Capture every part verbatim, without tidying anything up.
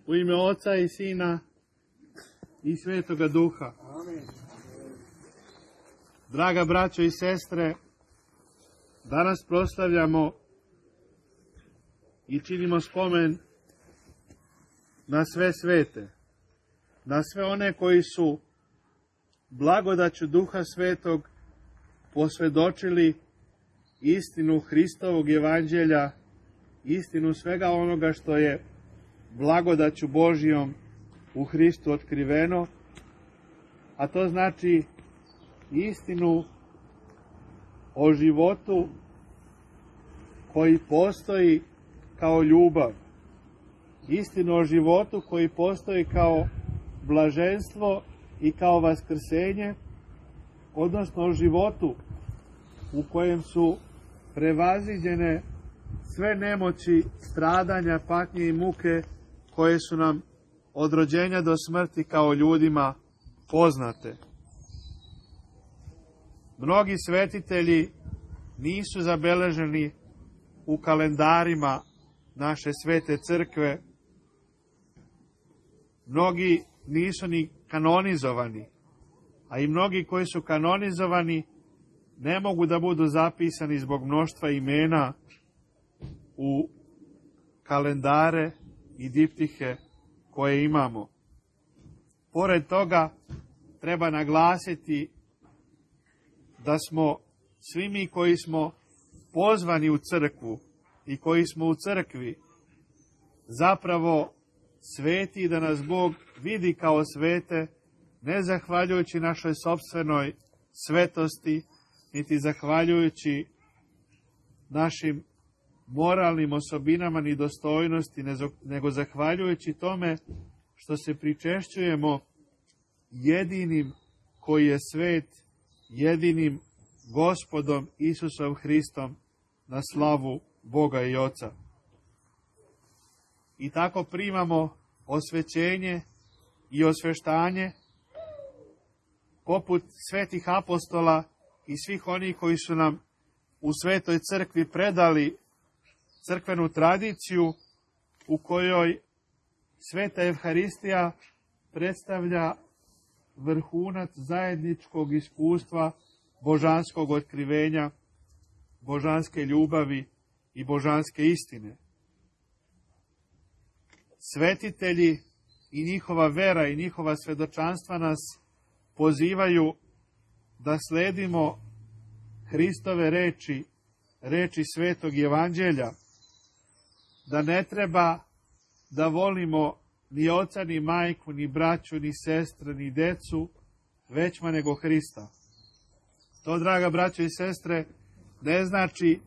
U ime Oca i Sina i Svetoga Duha. Amen. Draga braćo i sestre, danas proslavljamo i činimo spomen na sve svete, na sve one koji su blagodaću Duha Svetog posvjedočili istinu Hristovog evanđelja, istinu svega onoga što je blagodaću Božijom u Hristu otkriveno, a to znači istinu o životu koji postoji kao ljubav, istinu o životu koji postoji kao blaženstvo i kao vaskrsenje, odnosno o životu u kojem su prevaziđene sve nemoći, stradanja, patnje i muke koje su nam od rođenja do smrti kao ljudima poznate. Mnogi svetitelji nisu zabeleženi u kalendarima naše svete crkve, mnogi nisu ni kanonizovani, a i mnogi koji su kanonizovani ne mogu da budu zapisani zbog mnoštva imena u kalendare i diptihe koje imamo. Pored toga, treba naglasiti da smo svi mi koji smo pozvani u crkvu i koji smo u crkvi zapravo sveti, da nas Bog vidi kao svete, ne zahvaljujući našoj sopstvenoj svetosti, niti zahvaljujući našim moralnim osobinama ni dostojnosti, nego zahvaljujući tome što se pričešćujemo jedinim koji je svet, jedinim Gospodom Isusom Hristom, na slavu Boga i Oca. I tako primamo osvećenje i osveštanje poput svetih apostola i svih onih koji su nam u Svetoj crkvi predali crkvenu tradiciju u kojoj Sveta Evharistija predstavlja vrhunac zajedničkog iskustva božanskog otkrivenja, božanske ljubavi i božanske istine. Svetitelji i njihova vera i njihova svedočanstva nas pozivaju da sledimo Hristove reči, reči Svetog evanđelja, da ne treba da volimo ni oca, ni majku, ni braću, ni sestre, ni decu, većma nego Hrista. To, draga braćo i sestre, ne znači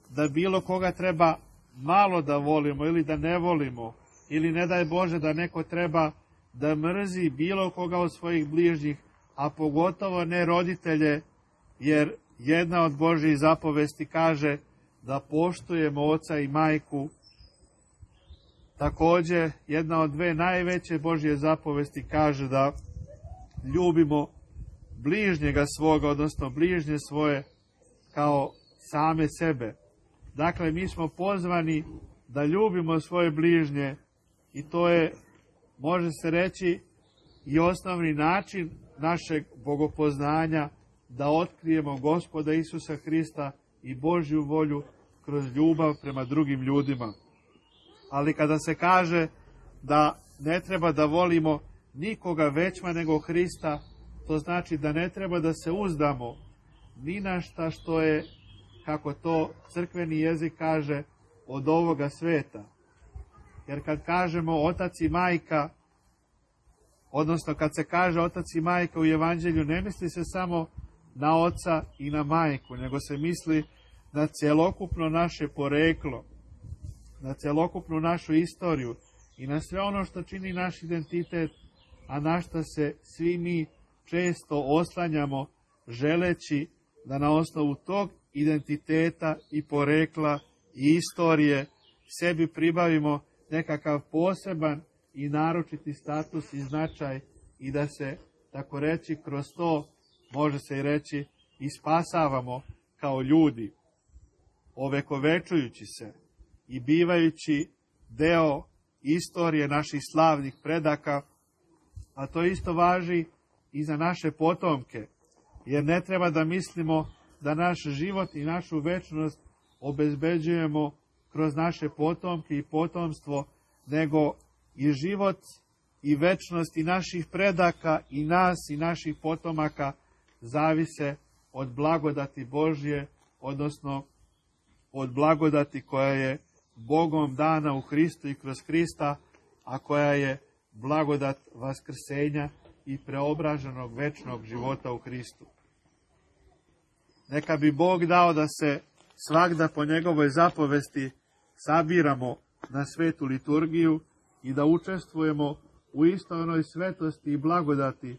da bilo koga treba malo da volimo ili da ne volimo, ili ne daj Bože da neko treba da mrzi bilo koga od svojih bližnjih, a pogotovo ne roditelje, jer jedna od Božjih zapovesti kaže da poštujemo oca i majku. Također, jedna od dve najveće Božje zapovesti kaže da ljubimo bližnjega svoga, odnosno bližnje svoje kao same sebe. Dakle, mi smo pozvani da ljubimo svoje bližnje i to je, može se reći, i osnovni način našeg bogopoznanja, da otkrijemo Gospoda Isusa Hrista i Božju volju kroz ljubav prema drugim ljudima. Ali kada se kaže da ne treba da volimo nikoga većma nego Hrista, to znači da ne treba da se uzdamo ni na šta što je, kako to crkveni jezik kaže, od ovoga sveta. Jer kad kažemo otac i majka, odnosno kad se kaže otac i majka u evanđelju, ne misli se samo na oca i na majku, nego se misli na celokupno naše poreklo, na celokupnu našu istoriju i na sve ono što čini naš identitet, a na što se svi mi često oslanjamo, želeći da na osnovu tog identiteta i porekla i istorije sebi pribavimo nekakav poseban i naročiti status i značaj i da se, tako reći, kroz to, može se i reći, i spasavamo kao ljudi, ovekovečujući se i bivajući deo istorije naših slavnih predaka, a to isto važi i za naše potomke, jer ne treba da mislimo da naš život i našu večnost obezbeđujemo kroz naše potomke i potomstvo, nego i život i večnost i naših predaka i nas i naših potomaka zavise od blagodati Božje, odnosno od blagodati koja je Bogom dana u Hristu i kroz Hrista, a koja je blagodat vaskrsenja i preobraženog večnog života u Hristu. Neka bi Bog dao da se svagda po njegovoj zapovesti sabiramo na svetu liturgiju i da učestvujemo u istoj onoj svetosti i blagodati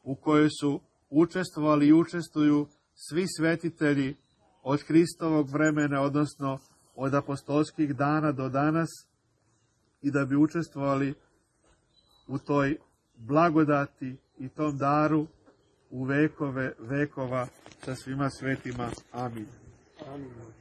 u kojoj su učestvovali i učestvuju svi svetitelji od Hristovog vremena, odnosno od apostolskih dana do danas, i da bi učestvovali u toj blagodati i tom daru u vekove vekova sa svima svetima. Amin. Amin.